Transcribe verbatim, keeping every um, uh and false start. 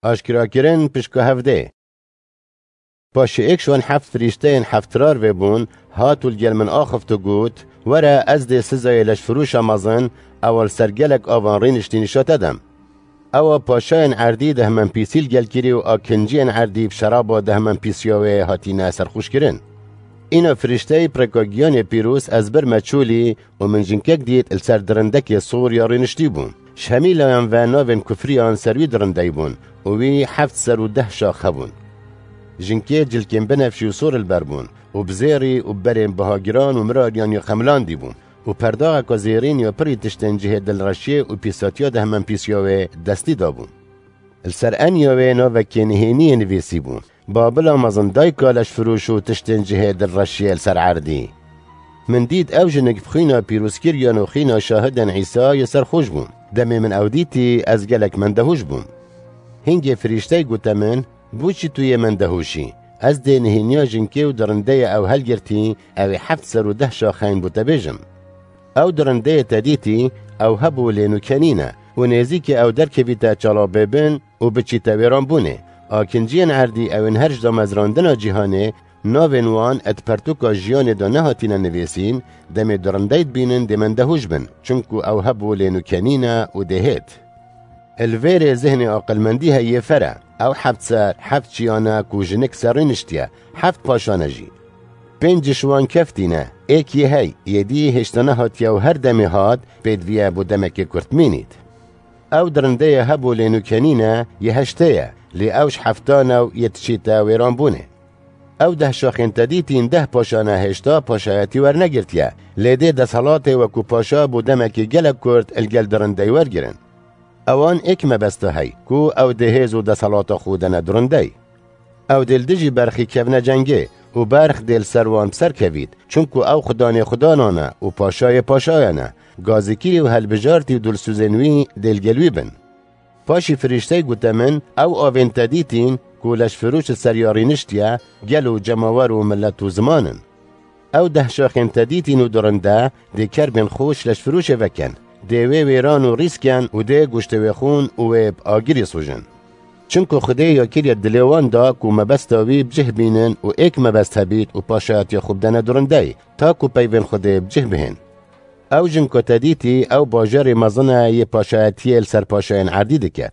Aşkerakirin pişka hevdê. Paşê êk ji wan heft firîşteyên heft tirar vê bûn, hat û li gel min axift û got, Were, ez dê sizayê leşfirûşa mezin, ewa li ser gelek avan rîniştî nîşa te dem. Ewa paşayên erdî dehmenpîsî li gel kirî û akinciyên erdî bi şeraba dehmenpîsiya wê hatîne serxweşkirin. Îna firîşteyî bi rêka giyanê pîroz ez birme çolî û min jinkek dît li ser dirindekê sor ya rîniştî bû. Ji hemî layan ve navên kufriyan ser wî dirindeyî bûn û wî heft ser û deh şax hebûn. Jinkê cilkên binefşî û sor li ber bûn û bi zêrî û bi berên bihagiran û mirariyan ya xemilandî bûn û perdaxeka zêrîn ya pirî tiştên cihê dilreşiyê û pîsatiya dehmenpîsiya wê destî dabûn. Li ser eniya wê navekê nihêniyê nivîsî bû, Babila mezin dayika leşfiroş û tiştên cihê dilreşiyê li ser erdî. Min dît ew jinik bi xwîna pîrozkiriyan û xwîna şahidên Îsa yê serxweş bû. Demê min ew dîtî, ez gelek mendehûş bûm. Hingê firîştey gote min, Bo çi tu yê mendehûşî? Ez dê nihêniya jinkê û dirindeyê ew helgirtî, ew ê heft ser û deh şaxeyn bo te bêjim. Ew dirindeyê te dîtî, ew hebû lê nûkenîn e û nêzîkê ew derkevîte çalabêbin û biçîte wêranbûnê. Akinciyên erdî ew ên her ji damezrandina cîhanê, navên wan di pertûka jiyanê de nehatîne nivîsîn, demê dirindey dibînin dê mendehûş bin, çimku ew hebû lê nûkenîn e û dê hêt. Li vêrê zihnê aqilmendî heyê fer e. Ew heft ser, heft çiyan e ku jinik ser rê niştiye, heft paşan e jî. Pênc ji wan keftî ne, êk yê hey, yê dî hêşta nehatiye û her demê hat, pêdiviye bo demekê kurt mînît. Ew dirindeyê hebû lê nûkenîn e, yê heştê ye, lê ew ji heftan e û yê diçîte wêranbûnê. Ew deh şaxên te dîtîn deh paşan e, hêşta paşayetî wernegirtiye, lê dê desthilatê wekû paşa bo demekê gelek kurt li gel dirindey wergirin. Ewan êk mebesta hey ku ew dê hêz û desthilata xwe dene dirindey. Ew dê li dijî berxî kevne cengê û berx dê li ser wan bi ser kevît, çimku ew xudanê xudanan e û paşayê paşayan e, gazîkirî û helbijartî û dilsûzên wî dê li gel wî bin. Paşî firîştey gote min, Ew avên te dîtîn ku leşfiroş li ser ya rîniştiye, gel û cemawer û milet û ziman in. Ew deh şaxên te dîtîn û dirinde, dê kerbên xwe ji leşfiroşê vekin, dê wê wêran û rîsken û dê goştê wê xwin û wê bi agirî sojin. Çimku Xwedê ya kiriye dilê wan da ku mebesta wî bi cih bînin û êk mebest hebît û paşayetiya xwe bidene dirindey, ta ku peyvên Xwedê bi cih bihên. Ew jinka te dîtî, ew bajarê mezin e yê paşayetiyê li ser paşayên erdî diket.